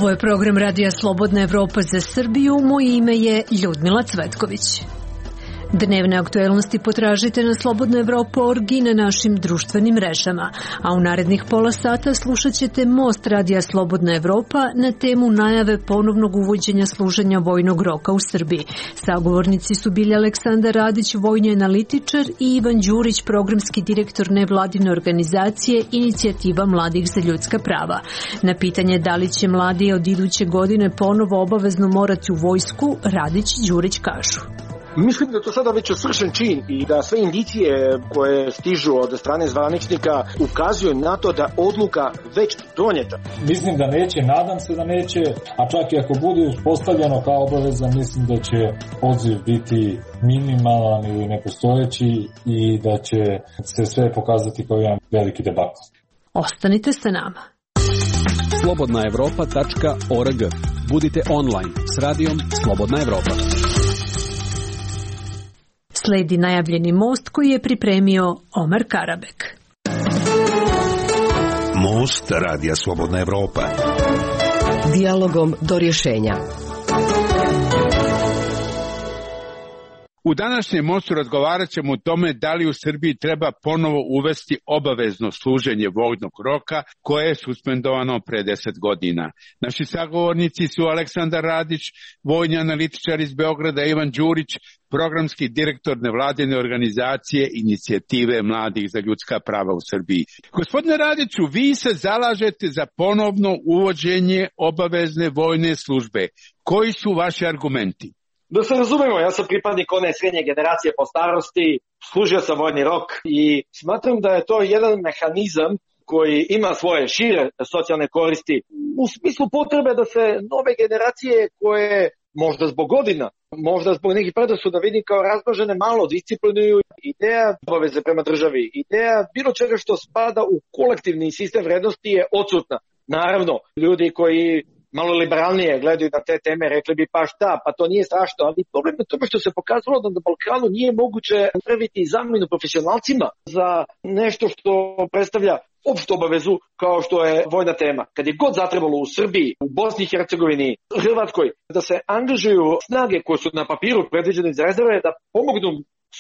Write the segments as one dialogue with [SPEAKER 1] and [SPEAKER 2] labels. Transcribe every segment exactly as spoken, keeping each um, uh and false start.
[SPEAKER 1] Ovo je program Radija Slobodna Evropa za Srbiju. Moje ime je Ljudmila Cvetković. Dnevne aktuelnosti potražite na slobodna evropa tačka org i na našim društvenim mrežama, a u narednih pola sata slušat ćete Most Radija Slobodna Evropa na temu najave ponovnog uvođenja služenja vojnog roka u Srbiji. Sagovornici su bili Aleksandar Radić, vojni analitičar, i Ivan Đurić, programski direktor nevladine organizacije Inicijativa mladih za ljudska prava. Na pitanje da li će mladi od iduće godine ponovo obavezno morati u vojsku, Radić i Đurić kažu:
[SPEAKER 2] Mislim da je to sada već svršen čin i da sve indicije koje stižu od strane zvaničnika ukazuju na to da odluka već donijeta.
[SPEAKER 3] Mislim da neće, nadam se da neće, a čak i ako bude uspostavljeno kao obaveza, mislim da će odziv biti minimalan ili nepostojeći i da će se sve pokazati kao jedan veliki debakl.
[SPEAKER 1] Ostanite sa nama.
[SPEAKER 4] slobodna evropa tačka org. Budite online s radijom Slobodna Evropa.
[SPEAKER 1] Sledi najavljeni most koji je pripremio Omar Karabek.
[SPEAKER 5] Most Radija Slobodna Evropa.
[SPEAKER 6] Dijalogom do rješenja.
[SPEAKER 7] U današnjem mostu razgovarat ćemo o tome da li u Srbiji treba ponovo uvesti obavezno služenje vojnog roka koje je suspendovano pre deset godina. Naši sagovornici su Aleksandar Radić, vojni analitičar iz Beograda, Ivan Đurić, programski direktor nevladine organizacije Inicijative mladih za ljudska prava u Srbiji. Gospodine Radiću, vi se zalažete za ponovno uvođenje obavezne vojne službe. Koji su vaši argumenti?
[SPEAKER 2] Da se razumemo, ja sam pripadnik one srednje generacije po starosti, služio sam vojni rok i smatram da je to jedan mehanizam koji ima svoje šire socijalne koristi u smislu potrebe da se nove generacije koje možda zbog godina, možda zbog nekih predrasuda vidim kao razmažene, malo disciplinuju. Ideja obaveze prema državi, ideja bilo čega što spada u kolektivni sistem vrednosti je odsutna. Naravno, ljudi koji malo liberalnije gledaju na te teme, rekli bi pa šta, pa to nije strašno, ali problem je tome što se pokazalo da na Balkanu nije moguće napraviti zamenu profesionalcima za nešto što predstavlja opštu obavezu kao što je vojna tema. Kad je god zatrebalo u Srbiji, u Bosni i Hercegovini, Hrvatskoj, da se angažuju snage koje su na papiru predviđene iz rezerve da pomognu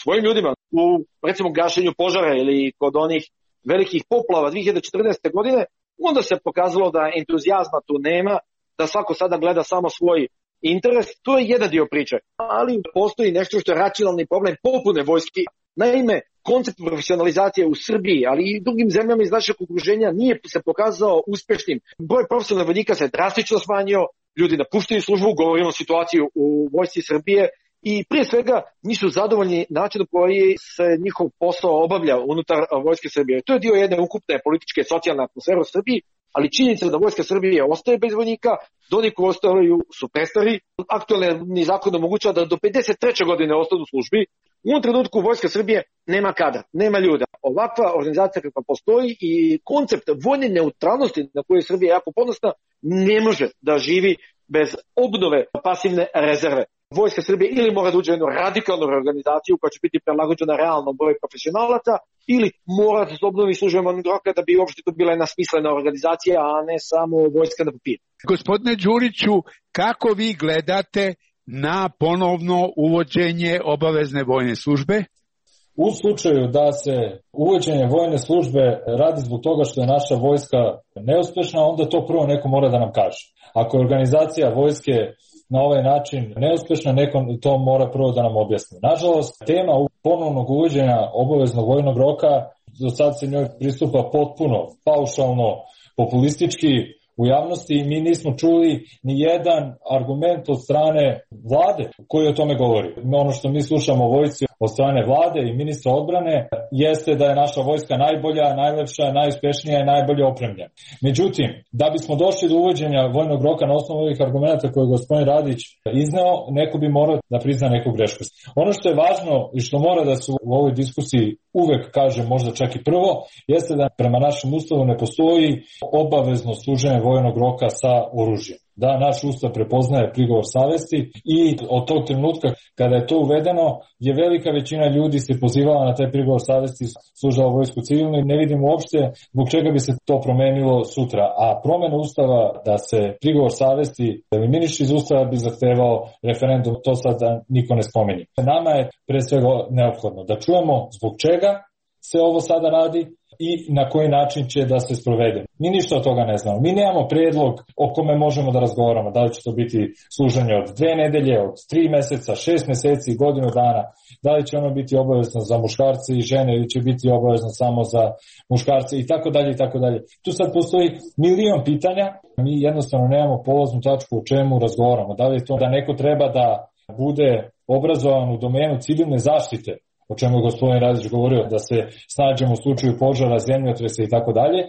[SPEAKER 2] svojim ljudima u, recimo, gašenju požara ili kod onih velikih poplava dve hiljade četrnaeste. godine, onda se pokazalo da entuzijazma tu nema, da svako sada gleda samo svoj interes. To je jedan dio priče, ali postoji nešto što je racionalni problem popune vojski. Naime, koncept profesionalizacije u Srbiji, ali i drugim zemljama iz našeg okruženja nije se pokazao uspešnim. Broj profesionalnih vojnika se drastično smanjio, ljudi napuštaju službu, govorimo o situaciji u vojsci Srbije, i prije svega nisu zadovoljni načinom koji se njihov posao obavlja unutar vojske Srbije. To je dio jedne ukupne političke i socijalne atmosfere u Srbiji, ali činjenica da vojska Srbije ostaje bez vojnika, da oni koji ostaju su prestari. Aktualni zakon omogućava da do pedeset treće. godine ostanu u službi. U ovom trenutku vojska Srbije nema kadra, nema ljuda. Ovakva organizacija kakva postoji i koncept vojne neutralnosti na koju je Srbija jako ponosna ne može da živi bez obnove pasivne rezerve. Vojska Srbije ili mora da uđe u jednu radikalnu reorganizaciju koja će biti prilagođena realnom broju profesionalaca, ili mora da se obnovi služenje vojnog roka da bi uopšte to bila jedna smislena organizacija, a ne samo vojska na papiru.
[SPEAKER 7] Gospodine Đuriću, kako vi gledate na ponovno uvođenje obavezne vojne službe?
[SPEAKER 3] U slučaju da se uvođenje vojne službe radi zbog toga što je naša vojska neuspešna, onda to prvo neko mora da nam kaže. Ako je organizacija vojske na ovaj način neuspešna, neko to mora prvo da nam objasni. Nažalost, tema ponovnog uvođenja obaveznog vojnog roka, do sad se njoj pristupa potpuno paušalno, populistički u javnosti i mi nismo čuli ni jedan argument od strane vlade koji o tome govori. Ono što mi slušamo o vojsci od strane vlade i ministra odbrane jeste da je naša vojska najbolja, najlepša, najuspešnija i najbolje opremljena. Međutim, da bismo došli do uvođenja vojnog roka na osnovu ovih argumenta koje je gospodin Radić izneo, neko bi morao da prizna neku grešku. Ono što je važno i što mora da se u ovoj diskusiji uvek kaže, možda čak i prvo, jeste da prema našem ustavu ne postoji obavezno služenje vojnog roka sa oružjem. Da, naš ustav prepoznaje prigovor savesti i od tog trenutka kada je to uvedeno je velika većina ljudi se pozivala na taj prigovor savesti, služila vojsku civilno i ne vidim uopšte zbog čega bi se to promenilo sutra. A promena ustava da se prigovor savesti eliminiše iz ustava bi zahtevao referendum, to sad niko ne spominje. Nama je pre svega neophodno da čujemo zbog čega se ovo sada radi i na koji način će da se sprovede. Mi ništa od toga ne znamo. Mi nemamo predlog o kome možemo da razgovaramo. Da li će to biti služenje od dve nedelje, od tri meseca, šest meseci, godinu dana. Da li će ono biti obavezno za muškarce i žene ili će biti obavezno samo za muškarce i tako dalje i tako dalje. Tu sad postoji milion pitanja. Mi jednostavno nemamo polaznu tačku o čemu razgovaramo. Da li je to da neko treba da bude obrazovan u domenu civilne zaštite, o čemu je gospodin Radić govorio, da se snađemo u slučaju požara, zemljotresa i tako dalje,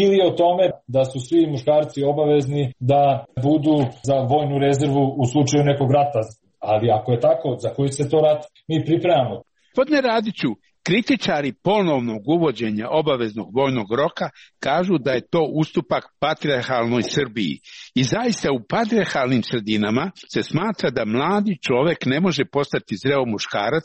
[SPEAKER 3] ili o tome da su svi muškarci obavezni da budu za vojnu rezervu u slučaju nekog rata. Ali ako je tako, za koji se to rat mi pripremamo?
[SPEAKER 7] Gospodine Radiću, kritičari ponovnog uvođenja obaveznog vojnog roka kažu da je to ustupak patrijarhalnoj Srbiji. I zaista u patrijarhalnim sredinama se smatra da mladi čovek ne može postati zreo muškarac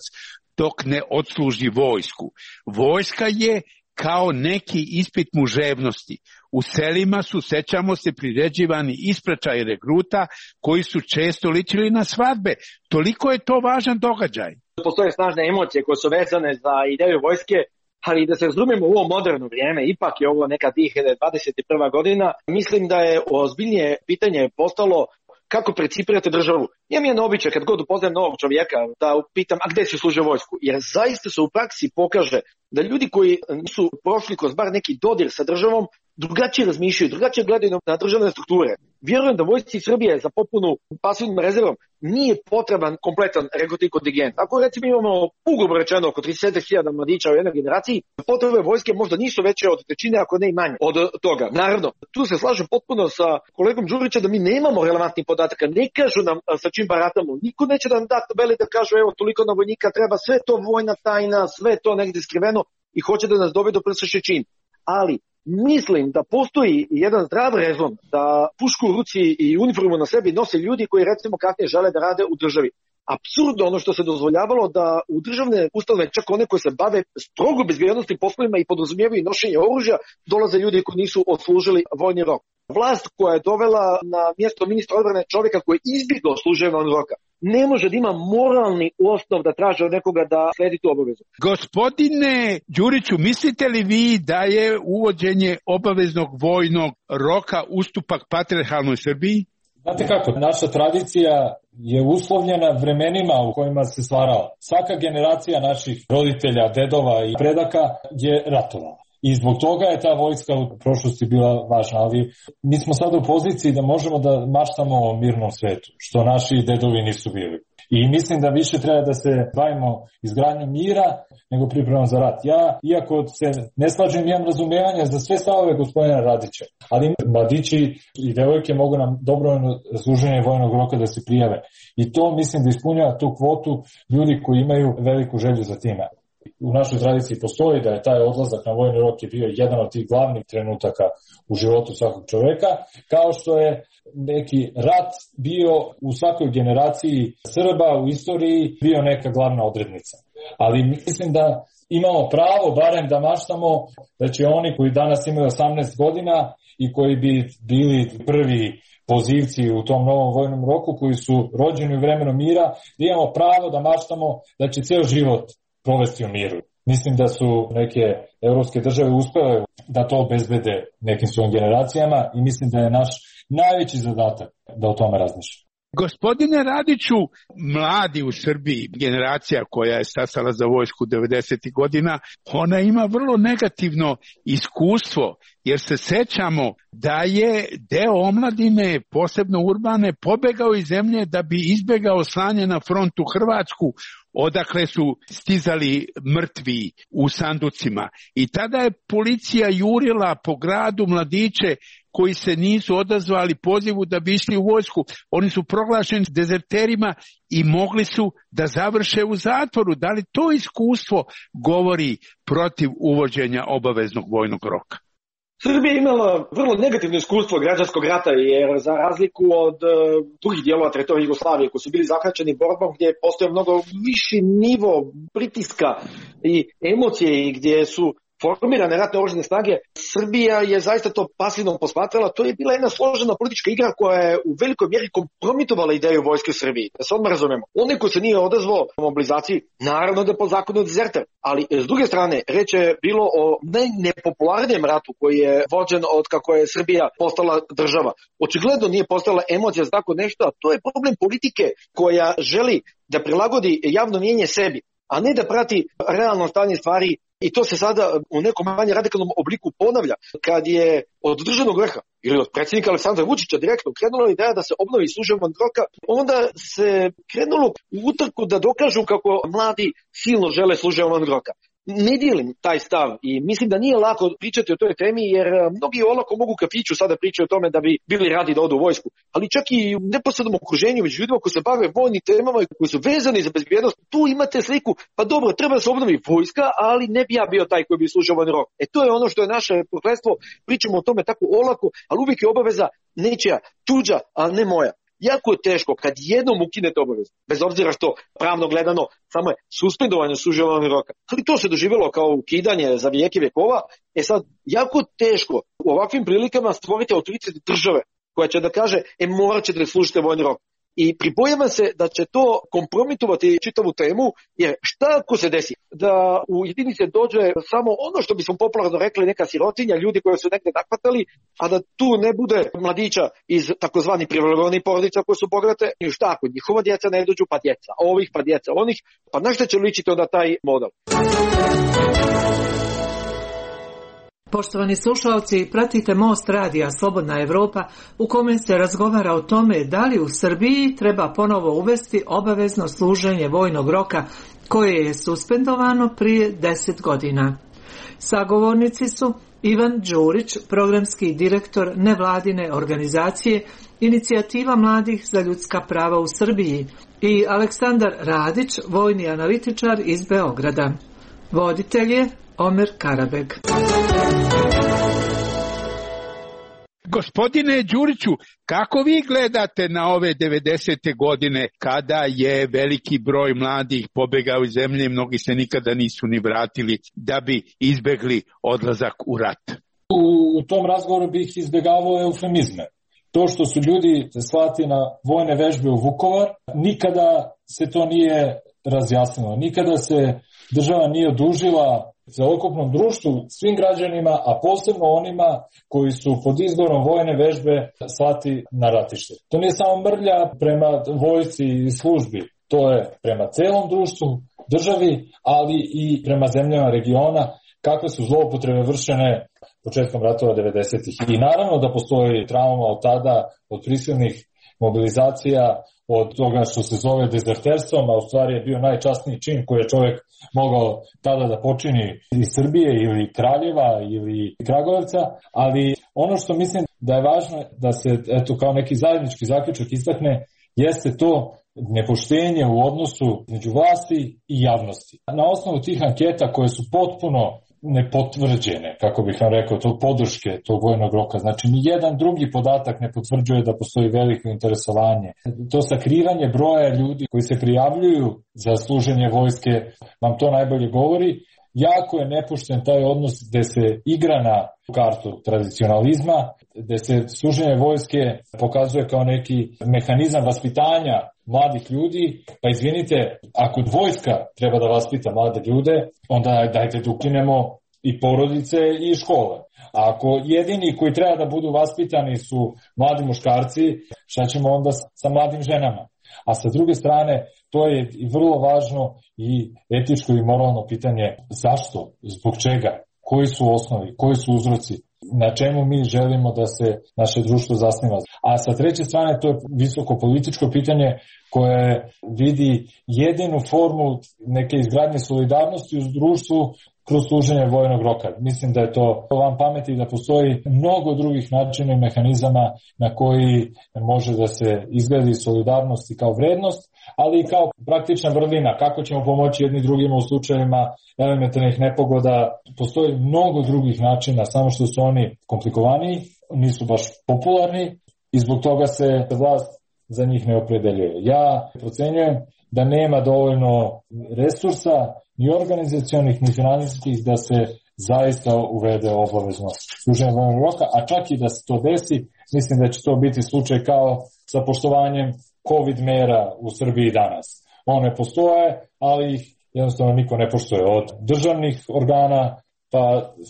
[SPEAKER 7] dok ne odsluži vojsku. Vojska je kao neki ispit muževnosti. U selima su, sećamo se, priređivani ispraćaji regruta koji su često ličili na svadbe. Toliko je to važan događaj.
[SPEAKER 2] Postoje snažne emocije koje su vezane za ideju vojske, ali da se razumemo u ovo moderno vrijeme, ipak je ovo neka dvije hiljade dvadeset prva godina, mislim da je ozbiljnije pitanje postalo kako precipirate državu. Imam jedan običaj kad god upoznajem novog čovjeka da pitam a gde si služio vojsku, jer zaista se u praksi pokaže da ljudi koji su prošli kroz bar neki dodir sa državom drugačije razmišljaju, drugačije gledaju na državne strukture. Vjerujem da vojsci Srbije za popunu pasivnom rezervom nije potreban kompletan regrutni kontingent. Ako recimo imamo ugrubo rečeno oko trideset hiljada mladića u jednoj generaciji, potrebe vojske možda nisu veće od trećine, ako ne i manje od toga. Naravno, tu se slažem potpuno sa kolegom Đurićem da mi nemamo relevantnih podataka, ne kažu nam sa čim baratamo. Niko neće da nam da tabeli da kažu evo toliko na vojnika treba, sve to vojna tajna, sve to negdje skriveno i hoće da nas dovede do prsaše čin. Ali mislim da postoji jedan zdrav rezon da pušku u ruci i uniformu na sebi nose ljudi koji recimo kasnije žele da rade u državi. Apsurdno ono što se dozvoljavalo da u državne ustanove, čak one koje se bave strogo bezbjednosti poslovima i podrazumijevaju nošenje oružja, dolaze ljudi koji nisu odslužili vojni rok. Vlast koja je dovela na mjesto ministra odbrane čovjeka koji je izbjegao služenje vojnog roka ne može da ima moralni osnov da traži od nekoga da sledi tu obavezu.
[SPEAKER 7] Gospodine Đuriću, mislite li vi da je uvođenje obaveznog vojnog roka ustupak patrijarhalnoj Srbiji?
[SPEAKER 3] Znate kako, naša tradicija je uslovljena vremenima u kojima se stvarala. Svaka generacija naših roditelja, dedova i predaka je ratovala. I zbog toga je ta vojska u prošlosti bila važna, ali mi smo sada u poziciji da možemo da maštamo o mirnom svetu, što naši dedovi nisu bili. I mislim da više treba da se bavimo izgradnjom mira nego pripremom za rat. Ja, iako se ne slažem, imam razumevanja za sve stavove gospodina Radića, ali mladići i devojke mogu nam dobrovoljno služenje vojnog roka da se prijave. I to mislim da ispunjava tu kvotu ljudi koji imaju veliku želju za time. U našoj tradiciji postoji da je taj odlazak na vojni rok je bio jedan od tih glavnih trenutaka u životu svakog čoveka, kao što je neki rat bio u svakoj generaciji Srba u istoriji bio neka glavna odrednica. Ali mislim da imamo pravo barem da maštamo da će oni koji danas imaju osamnaest godina i koji bi bili prvi pozivci u tom novom vojnom roku, koji su rođeni u vremenu mira, da imamo pravo da maštamo da će ceo život provesti u miru. Mislim da su neke evropske države uspele da to obezbede nekim svojim generacijama i mislim da je naš najveći zadatak da o tome razmišljamo.
[SPEAKER 7] Gospodine Radiću, mladi u Srbiji, generacija koja je stasala za vojsku devedesetih godina, ona ima vrlo negativno iskustvo, jer se sećamo da je deo omladine, posebno urbane, pobegao iz zemlje da bi izbegao slanje na front u Hrvatsku, odakle su stizali mrtvi u sanducima. I tada je policija jurila po gradu mladiće koji se nisu odazvali pozivu da bi išli u vojsku. Oni su proglašeni dezerterima i mogli su da završe u zatvoru. Da li to iskustvo govori protiv uvođenja obaveznog vojnog roka?
[SPEAKER 2] Srbija je imala vrlo negativno iskustvo građanskog rata, jer za razliku od uh, drugih dijelova teritorije Jugoslavije koji su bili zahvaćeni borbom gdje postoje mnogo viši nivo pritiska i emocije i gdje su formirane ratne oružane snage, Srbija je zaista to pasivno posmatrala. To je bila jedna složena politička igra koja je u velikoj mjeri kompromitovala ideju vojske u Srbiji. Da se odmah razumemo. Onaj ko se nije odazvao mobilizaciji, naravno da je po zakonu dezerter. Ali s druge strane, reč je bilo o najnepopularnijem ratu koji je vođen od kako je Srbija postala država. Očigledno nije postala emocija za tako nešto, a to je problem politike koja želi da prilagodi javno mnijenje sebi, a ne da prati realno stanje stvari. I to se sada u nekom manje radikalnom obliku ponavlja kad je od državnog vrha ili od predsjednika Aleksandra Vučića direktno krenula ideja da se obnovi služba vojnog roka, onda se krenulo u utrku da dokažu kako mladi silno žele služba vojnog roka. Ne dijelim taj stav i mislim da nije lako pričati o toj temi, jer mnogi olako mogu u kafiću sada pričati o tome da bi bili radi da odu u vojsku, ali čak i u neposrednom okruženju među ljudima koji se bave vojnim temama i koji su vezani za bezbjednost, tu imate sliku, pa dobro, treba da se obnovi vojska, ali ne bi ja bio taj koji bi služio vojni rok. E to je ono što je naše prokletstvo, pričamo o tome tako olako, ali uvijek je obaveza nečija, tuđa, a ne moja. Jako je teško kad jednom ukinete obavezu, bez obzira što pravno gledano samo je suspendovanje služenja vojnog roka. Ali to se doživjelo kao ukidanje za vijeke vjekova. E sad, jako teško u ovakvim prilikama stvoriti autoritet države koja će da kaže, e morat ćete da služite vojni rok. I pribojavam se da će to kompromitovati čitavu temu, jer šta ako se desi da u jedinice dođe samo ono što bismo popularno rekli neka sirotinja, ljudi koji su negdje nakvatali, a da tu ne bude mladića iz takozvani privilegovanih porodica koje su bogate, i šta ako njihova djeca ne dođu, pa djeca ovih, pa djeca onih, pa na šta će ličiti onda taj model?
[SPEAKER 8] Poštovani slušalci, pratite Most radija Slobodna Evropa u kome se razgovara o tome da li u Srbiji treba ponovo uvesti obavezno služenje vojnog roka koje je suspendovano prije deset godina. Sagovornici su Ivan Đurić, programski direktor nevladine organizacije Inicijativa mladih za ljudska prava u Srbiji, i Aleksandar Radić, vojni analitičar iz Beograda. Voditelj je Omer Karabeg.
[SPEAKER 7] Gospodine Đuriću, kako vi gledate na ove devedesete godine kada je veliki broj mladih pobegao iz zemlje, mnogi se nikada nisu ni vratili da bi izbegli odlazak u rat?
[SPEAKER 3] U, u tom razgovoru bih izbjegavao eufemizme. To što su ljudi slati na vojne vežbe u Vukovar, nikada se to nije razjasnilo. Nikada se država nije odužila celokupnom društvu, svim građanima, a posebno onima koji su pod izgovorom vojne vežbe slati na ratište. To nije samo mrlja prema vojsci i službi, to je prema celom društvu, državi, ali i prema zemljama regiona, kakve su zloupotrebe vršene početkom ratova devedesetih. I naravno da postoji trauma od tada, od prisilnih mobilizacija, od toga što se zove dezerterstvom, a u stvari je bio najčasniji čin koji je čovjek mogao tada da počini iz Srbije ili Kraljeva ili Kragujevca, ali ono što mislim da je važno da se eto kao neki zajednički zaključak istakne jeste to nepoštenje u odnosu među vlasti i javnosti. Na osnovu tih anketa koje su potpuno nepotvrđene, kako bih vam rekao, to podrške tog vojnog roka. Znači, ni jedan drugi podatak ne potvrđuje da postoji veliko interesovanje. To sakrivanje broja ljudi koji se prijavljuju za služenje vojske vam to najbolje govori. Jako je nepošten taj odnos gde se igra na kartu tradicionalizma, gde se služenje vojske pokazuje kao neki mehanizam vaspitanja mladih ljudi. Pa izvinite, ako vojska treba da vaspita mlade ljude, onda dajte da ukinemo i porodice i škole. A ako jedini koji treba da budu vaspitani su mladi muškarci, šta ćemo onda sa mladim ženama? A sa druge strane, to je i vrlo važno i etičko i moralno pitanje zašto, zbog čega, koji su osnovi, koji su uzroci, na čemu mi želimo da se naše društvo zasniva. A sa treće strane, to je visoko političko pitanje koja vidi jedinu formu neke izgradnje solidarnosti u društvu kroz služenje vojnog roka. Mislim da je to van pameti, da postoji mnogo drugih načina i mehanizama na koji može da se izgradi solidarnost i kao vrednost, ali i kao praktična vrlina, kako ćemo pomoći jedni drugima u slučajevima elementarnih nepogoda. Postoji mnogo drugih načina, samo što su oni komplikovaniji, nisu baš popularni i zbog toga se vlast za njih ne opredeljuje. Ja procenjujem da nema dovoljno resursa, ni organizacionih, ni finansijskih, da se zaista uvede obavezno služenje vojnog roka, a čak i da se to desi, mislim da će to biti slučaj kao sa poštovanjem COVID mera u Srbiji danas. One postoje, ali ih jednostavno niko ne poštuje, od državnih organa pa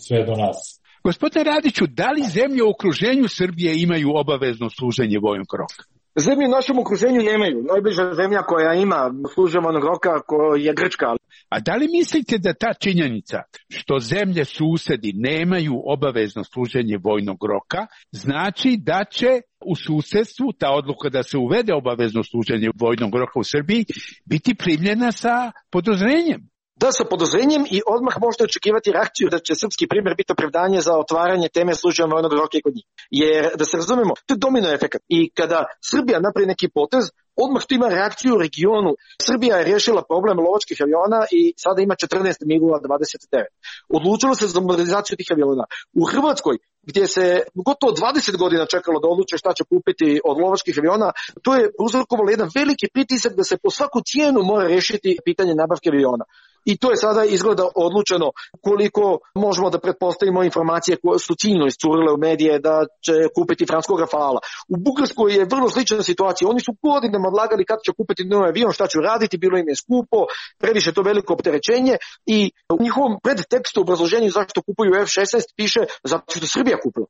[SPEAKER 3] sve do nas.
[SPEAKER 7] Gospodine Radiću, da li zemlje u okruženju Srbije imaju obavezno služenje vojnog roka?
[SPEAKER 2] Zemlje u našem okruženju nemaju. Najbliža zemlja koja ima služenje vojnog roka je Grčka.
[SPEAKER 7] A da li mislite da ta činjenica što zemlje susedi nemaju obavezno služenje vojnog roka znači da će u susedstvu ta odluka da se uvede obavezno služenje vojnog roka u Srbiji biti primljena sa podozrenjem?
[SPEAKER 2] Da, sa podozrenjem i odmah možete očekivati reakciju da će srpski primjer biti opravdanje za otvaranje teme služenja vojnog roka i kod njih. Jer, da se razumemo, to je domino efekat. I kada Srbija napravi neki potez, odmah to ima reakciju u regionu. Srbija je riješila problem lovačkih aviona i sada ima četrnaest migova dvadeset devet. Odlučilo se za modernizaciju tih aviona. U Hrvatskoj, gdje se gotovo dvadeset godina čekalo da odluče šta će kupiti od lovačkih aviona, to je uzrokovalo jedan veliki pritisak da se po svaku cijenu mora riješiti pitanje nabavke aviona. I to je sada izgleda odlučeno, koliko možemo da pretpostavimo informacije koje su ciljno iscurile u medije da će kupiti francuskog Rafala. U Bugarskoj je vrlo slična situacija. Oni su godinama odlagali kad će kupiti novi avion, šta će uraditi, bilo im je skupo, previše to veliko opterećenje i u njihovom predtekstu obrazloženju zašto kupuju F šesnaest piše zato što Srbija kupila.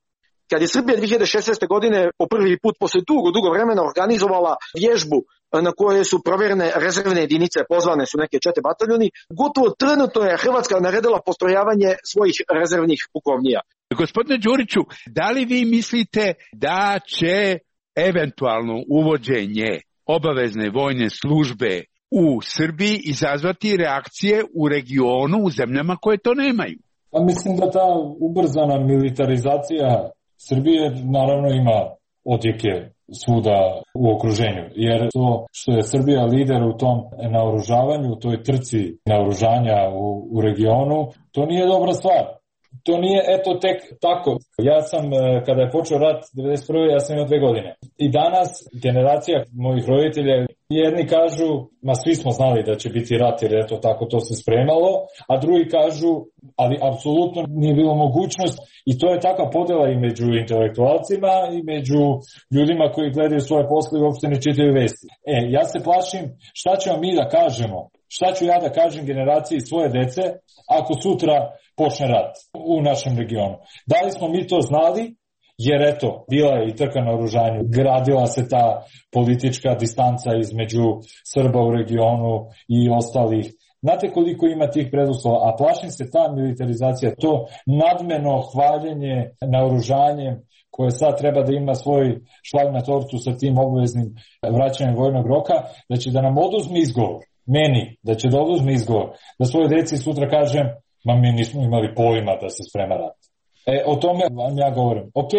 [SPEAKER 2] Kad je Srbija dve hiljade šesnaeste. godine po prvi put posle dugo, dugo vremena organizovala vježbu na koje su provjerene rezervne jedinice, pozvane su neke čete bataljoni, gotovo trenutno je Hrvatska naredila postrojavanje svojih rezervnih pukovnija.
[SPEAKER 7] Gospodine Đuriću, da li vi mislite da će eventualno uvođenje obavezne vojne službe u Srbiji izazvati reakcije u regionu, u zemljama koje to nemaju?
[SPEAKER 3] Pa mislim da ta ubrzana militarizacija Srbije naravno ima odjeke svuda u okruženju, jer to što je Srbija lider u tom naoružavanju, u toj trci naoružanja u, u regionu, to nije dobra stvar. To nije eto tek tako. Ja sam, kada je počeo rat devedeset prve. ja sam imao dve godine. I danas generacija mojih roditelja, jedni kažu, ma svi smo znali da će biti rat jer eto tako to se spremalo, a drugi kažu, ali apsolutno nije bilo mogućnost i to je takva podela i među intelektualcima i među ljudima koji gledaju svoje posle i uopšte ne čitaju vesti. E, ja se plašim šta ćemo mi da kažemo, šta ću ja da kažem generaciji svoje dece ako sutra počne rat u našem regionu. Da li smo mi to znali? Jer eto, bila je i trka na oružanju, gradila se ta politička distanca između Srba u regionu i ostalih. Znate koliko ima tih preduslova, a plašim se ta militarizacija, to nadmeno hvaljenje naoružanjem koje sad treba da ima svoj šlag na tortu sa tim obaveznim vraćanjem vojnog roka, da će da nam oduzme izgovor, meni, da će da oduzme izgovor, da svoje deci sutra kažem, ma mi nismo imali pojma da se sprema rat. E, o tome vam ja govorim. Ok,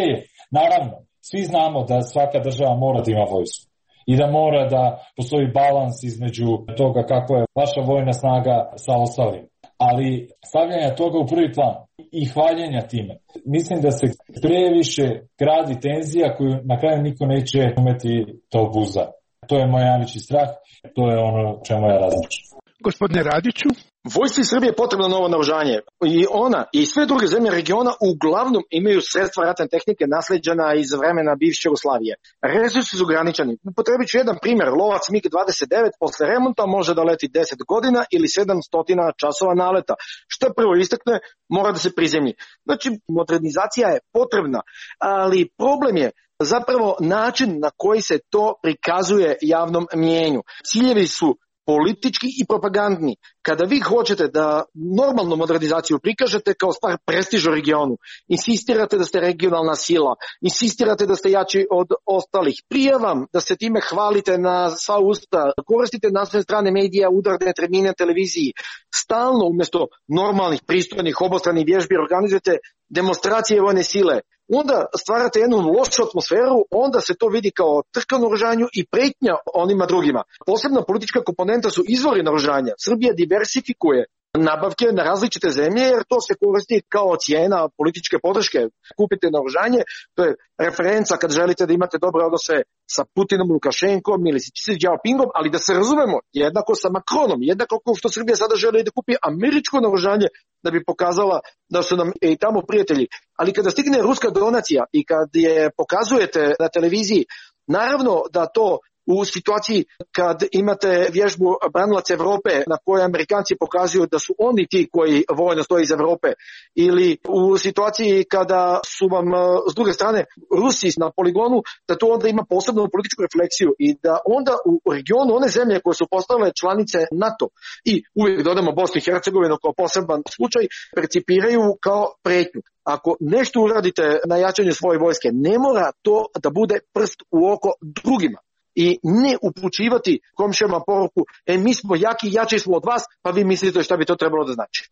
[SPEAKER 3] naravno, svi znamo da svaka država mora da ima vojsku i da mora da postoji balans između toga kako je vaša vojna snaga sa ostalim. Ali stavljanja toga u prvi plan i hvaljenja time, mislim da se previše gradi tenzija koju na kraju niko neće umeti da obuza. To je moj najveći strah, to je ono čemu ja različim.
[SPEAKER 7] Gospodine Radiću?
[SPEAKER 2] Vojsci Srbije je potrebno novo naoružanje i ona i sve druge zemlje regiona uglavnom imaju sredstva ratne tehnike nasleđena iz vremena bivše Jugoslavije. Resursi su ograničeni. Potrebit ću jedan primjer. Lovac mig dvadeset devet posle remonta može da leti deset godina ili sedamsto časova naleta. Šta prvo istakne, mora da se prizemlji. Znači, modernizacija je potrebna, ali problem je zapravo način na koji se to prikazuje javnom mnijenju. Ciljevi su politički i propagandni. Kada vi hoćete da normalnu modernizaciju prikažete kao stvar prestiža u regionu, insistirate da ste regionalna sila, insistirate da ste jači od ostalih, prijavam da se time hvalite na sva usta, koristite naslovne strane medija, udarne termine televiziji, stalno umjesto normalnih, pristojnih, obostranih vježbi organizujete demonstracije vojne sile, onda stvarate jednu lošu atmosferu, onda se to vidi kao trka naoružanju i pretnja onima drugima. Posebna politička komponenta su izvori naoružanja. Srbija diversifikuje nabavke na različite zemlje, jer to se koristi kao cijena političke podrške. Kupite naoružanje, to je referenca kad želite da imate dobre odnose sa Putinom, Lukašenkom ili sa Xi Jinpingom, ali da se razumemo, jednako sa Macronom, jednako kao što Srbija sada želi da kupi američko naoružanje da bi pokazala da su nam i tamo prijatelji. Ali kada stigne ruska donacija i kad je pokazujete na televiziji, naravno da to u situaciji kad imate vježbu branilaca Evrope na kojoj Amerikanci pokazuju da su oni ti koji vojno stoje iz Evrope, ili u situaciji kada su vam s druge strane Rusi na poligonu, da to onda ima posebnu političku refleksiju i da onda u regionu one zemlje koje su postale članice NATO i uvijek dodamo Bosnu i Hercegovinu kao poseban slučaj, percipiraju kao pretnju. Ako nešto uradite na jačanju svoje vojske, ne mora to da bude prst u oko drugima. I ne upućivati komšijama poruku, e mi smo jaki, jači smo od vas, pa vi mislite šta bi to trebalo da znači.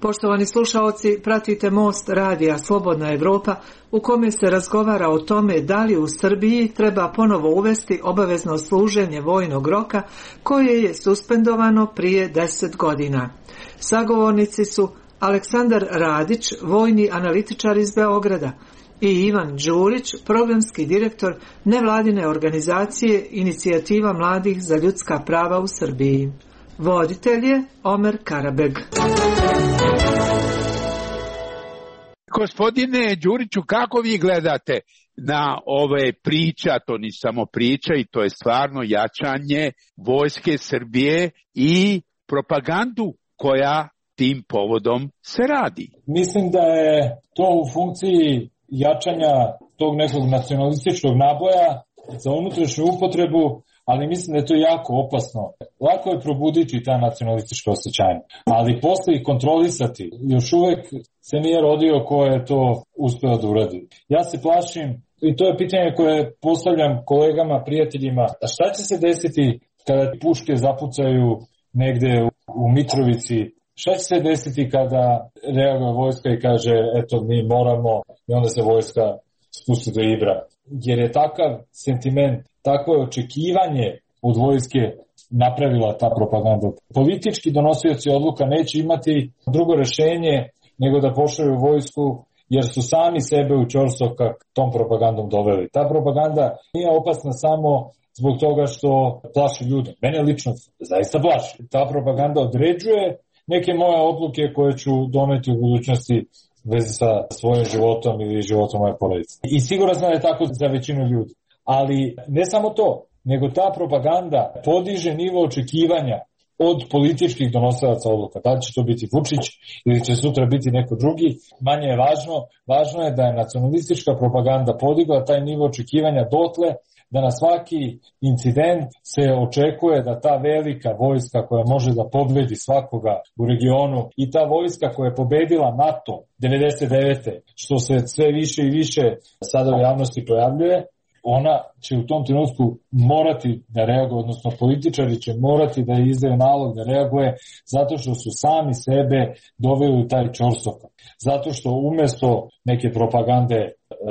[SPEAKER 8] Poštovani slušaoci, pratite Most radija Slobodna Evropa u kome se razgovara o tome da li u Srbiji treba ponovo uvesti obavezno služenje vojnog roka koje je suspendovano prije deset godina. Sagovornici su Aleksandar Radić, vojni analitičar iz Beograda, i Ivan Đurić, programski direktor nevladine organizacije Inicijativa mladih za ljudska prava u Srbiji. Voditelj je Omer Karabeg.
[SPEAKER 7] Gospodine Đuriću, kako vi gledate na ove priča, to ni samo priča i to je stvarno jačanje vojske Srbije i propagandu koja tim povodom se radi?
[SPEAKER 3] Mislim da je to u funkciji jačanja tog nekog nacionalističkog naboja za unutrašnju upotrebu, ali mislim da je to jako opasno. Lako je probuditi ta nacionalistička osjećanja, ali posle ih kontrolisati. Još uvek se nije rodio ko je to uspeo da uradi. Ja se plašim, i to je pitanje koje postavljam kolegama, prijateljima, a šta će se desiti kada puške zapucaju negde u Mitrovici? Šta će se desiti kada reaguje vojska i kaže eto mi moramo, i onda se vojska spusti do Ibra? Jer je takav sentiment, takvo je očekivanje od vojske napravila ta propaganda. Politički donosioci odluka neće imati drugo rešenje nego da pošalju vojsku, jer su sami sebe u ćorsokak tom propagandom doveli. Ta propaganda nije opasna samo zbog toga što plaši ljude. Mene lično zaista plaši. Ta propaganda određuje neke moje odluke koje ću doneti u budućnosti vezi sa svojim životom ili životom moje porodice. I sigurno znam da je tako za većinu ljudi. Ali ne samo to, nego ta propaganda podiže nivo očekivanja od političkih donosilaca odluka. Da li će to biti Vučić ili će sutra biti neko drugi, manje je važno. Važno je da je nacionalistička propaganda podigla taj nivo očekivanja dotle da na svaki incident se očekuje da ta velika vojska koja može da pobedi svakoga u regionu i ta vojska koja je pobedila NATO devedeset devete što se sve više i više sada u javnosti pojavljuje, ona će u tom trenutku morati da reaguje, odnosno političari će morati da izdaju nalog da reaguje zato što su sami sebe doveli u taj ćorsokak. Zato što umesto neke propagande,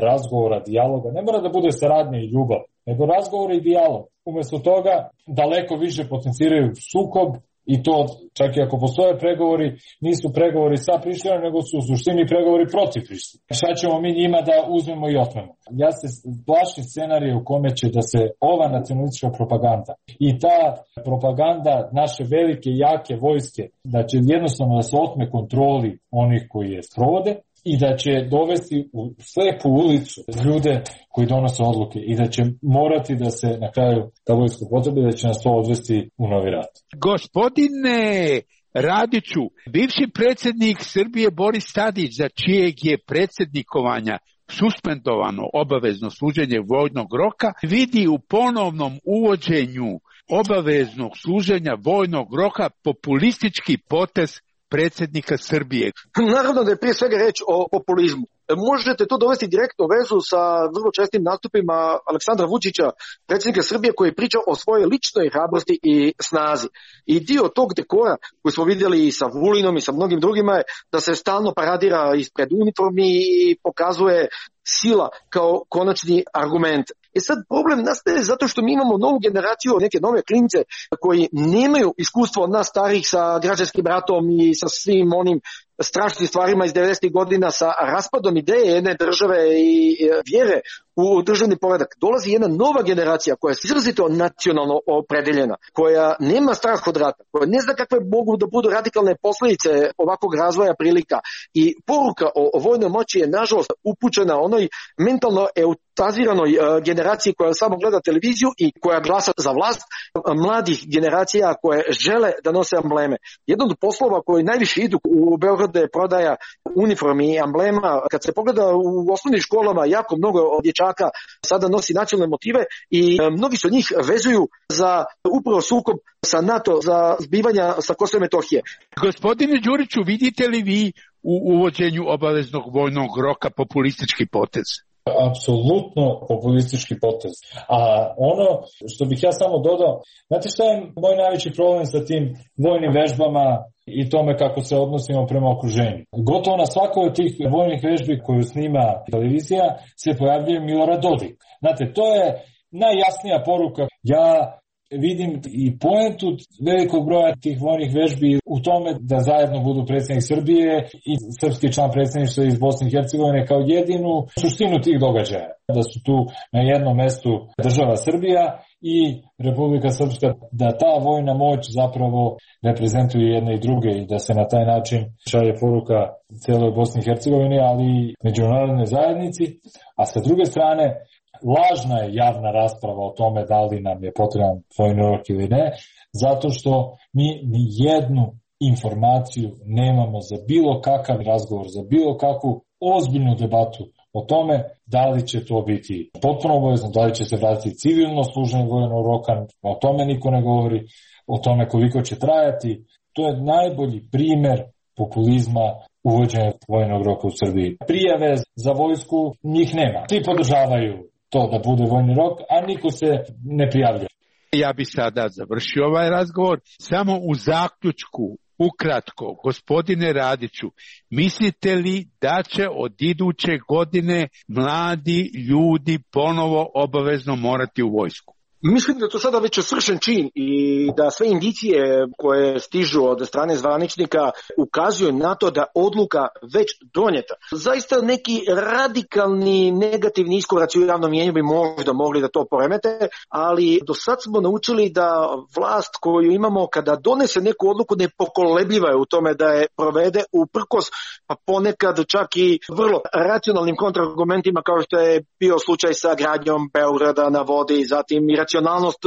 [SPEAKER 3] razgovora, dijaloga, ne mora da bude saradnja i ljubav, nego razgovor i dijalog. Umesto toga daleko više potenciraju sukob i to čak i ako postoje pregovori, nisu pregovori sa Prištinom, nego su u suštini pregovori protiv Prištine. Šta ćemo mi njima da uzmemo i otmemo? Ja se plašim scenarije u kome će da se ova nacionalistička propaganda i ta propaganda naše velike, jake vojske, da će jednostavno da se otme kontroli onih koji je sprovode, i da će dovesti u slepu ulicu ljude koji donose odluke i da će morati da se na kraju ta vojska potrebi, da će nas to odvesti u novi rat.
[SPEAKER 7] Gospodine Radiću, bivši predsjednik Srbije Boris Tadić, za čijeg je predsjednikovanja suspendovano obavezno služenje vojnog roka, vidi u ponovnom uvođenju obaveznog služenja vojnog roka populistički potez predsjednika Srbije.
[SPEAKER 2] Naravno da je prije svega reč o populizmu. Možete to dovesti direktno vezu sa vrlo čestim nastupima Aleksandra Vučića, predsjednika Srbije, koji priča o svojoj ličnoj hrabrosti i snazi. I dio tog dekora koji smo vidjeli i sa Vulinom i sa mnogim drugima je da se stalno paradira ispred uniformi i pokazuje sila kao konačni argument. I sad problem nastaje zato što mi imamo novu generaciju, neke nove klince koji nemaju iskustvo od nas starih sa građanskim ratom i sa svim onim strašnim stvarima iz devedesetih godina, sa raspadom ideje jedne države i vjere u državni poredak. Dolazi jedna nova generacija koja je izrazito nacionalno opredeljena, koja nema strah od rata, koja ne zna kakve mogu da budu radikalne posljedice ovakvog razvoja prilika. I poruka o, o vojnoj moći je nažalost upućena onoj mentalno eutaziranoj uh, generaciji koja samo gleda televiziju i koja glasa za vlast, uh, mladih generacija koje žele da nose ambleme. Jedan od poslova koji najviše idu u Beogradu je prodaja uniformi i amblema. Kad se pogleda u osnovnim školama, jako mnogo dječaka sada nosi nacionalne motive i uh, mnogi se od njih vezuju za upravo sukob sa NATO, za zbivanja sa Kosova i Metohije.
[SPEAKER 7] Gospodine Đuriću, vidite li vi u uvođenju obaveznog vojnog roka populistički potez?
[SPEAKER 3] Apsolutno populistički potez. A ono što bih ja samo dodao, znate šta je moj najveći problem sa tim vojnim vežbama i tome kako se odnosimo prema okruženju? Gotovo na svakoj od tih vojnih vežbi koju snima televizija se pojavljuje Milorad Dodik. Znate, to je najjasnija poruka. Ja vidim i poentu velikog broja tih vojnih vežbi u tome da zajedno budu predsjednik Srbije i srpski član predsjedništva iz Bosne i Hercegovine kao jedinu suštinu tih događaja. Da su tu na jednom mestu država Srbija i Republika Srpska, da ta vojna moć zapravo reprezentuje jedne i druge i da se na taj način šalje poruka celoj Bosni i Hercegovini, ali i međunarodnoj zajednici. A sa druge strane, lažna je javna rasprava o tome da li nam je potreban vojni rok ili ne, zato što mi ni jednu informaciju nemamo za bilo kakav razgovor, za bilo kakvu ozbiljnu debatu o tome da li će to biti potpuno obavezno, da li će se vratiti civilno služenje vojnog roka, o tome niko ne govori, o tome koliko će trajati. To je najbolji primer populizma uvođenja vojnog roka u Srbiji. Prijave za vojsku njih nema. Svi podržavaju to da bude vojni rok, a niko se ne prijavlja.
[SPEAKER 7] Ja bi sada završio ovaj razgovor. Samo u zaključku, ukratko, gospodine Radiću, mislite li da će od iduće godine mladi ljudi ponovo obavezno morati u vojsku?
[SPEAKER 2] Mislim da to sada već je svršen čin i da sve indicije koje stižu od strane zvaničnika ukazuju na to da odluka već donijeta. Zaista neki radikalni negativni iskoraci u javnom mnijenju bi možda mogli da to poremete, ali do sad smo naučili da vlast koju imamo kada donese neku odluku nepokolebljiva je u tome da je provede uprkos, pa ponekad čak i vrlo racionalnim kontraargumentima kao što je bio slučaj sa gradnjom Beograda na vodi, zatim i racionalnost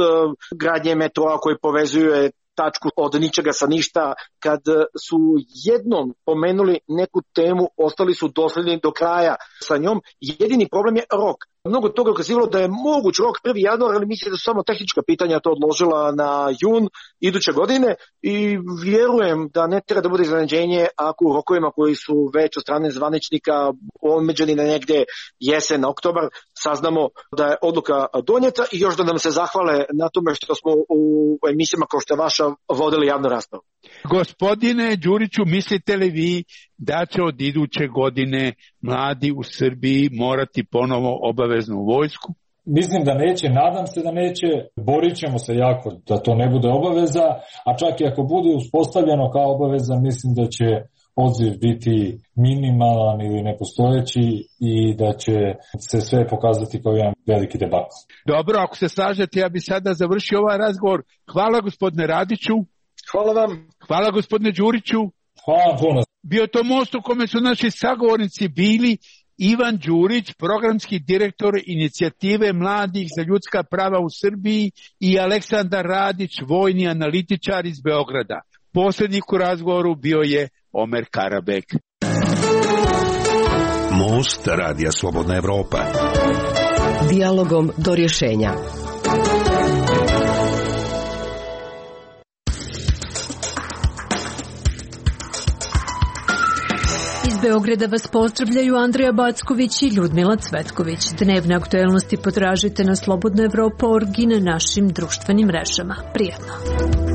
[SPEAKER 2] gradnje metroa koji povezuje tačku od ničega sa ništa. Kad su jednom pomenuli neku temu, ostali su dosledni do kraja sa njom. Jedini problem je rok. Mnogo toga ukazivalo da je moguć rok prvi januar, ali mislim da su samo tehnička pitanja to odložila na jun iduće godine i vjerujem da ne treba da bude iznenađenje ako u rokovima koji su već od strane zvaničnika omeđeni na negde jesen, oktobar, saznamo da je odluka donijeta i još da nam se zahvale na tome što smo u emisijama kao što je vaša vodili javnu raspravu.
[SPEAKER 7] Gospodine Đuriću, mislite li vi da će od iduće godine mladi u Srbiji morati ponovo obaveznu vojsku?
[SPEAKER 3] Mislim da neće, nadam se da neće, borit ćemo se jako da to ne bude obaveza, a čak i ako bude uspostavljeno kao obaveza, mislim da će odziv biti minimalan ili nepostojeći i da će se sve pokazati kao jedan veliki debakl.
[SPEAKER 7] Dobro, ako se slažete, ja bi sada završio ovaj razgovor. Hvala gospodine Radiću.
[SPEAKER 2] Hvala vam.
[SPEAKER 7] Hvala gospodine Đuriću.
[SPEAKER 3] Hvala puno.
[SPEAKER 7] Bio to most u kome su naši sagovornici bili Ivan Đurić, programski direktor inicijative Mladih za ljudska prava u Srbiji i Aleksandar Radić, vojni analitičar iz Beograda. Poslednik u razgovoru bio je Omer Karabek.
[SPEAKER 5] Most Radija Slobodna Evropa.
[SPEAKER 6] Dijalogom do rješenja.
[SPEAKER 1] Iz Beograda vas pozdravljaju Andreja Backović i Ljudmila Cvetković. Dnevne aktuelnosti potražite na slobodna evropa точка org i na našim društvenim mrežama. Prijetno!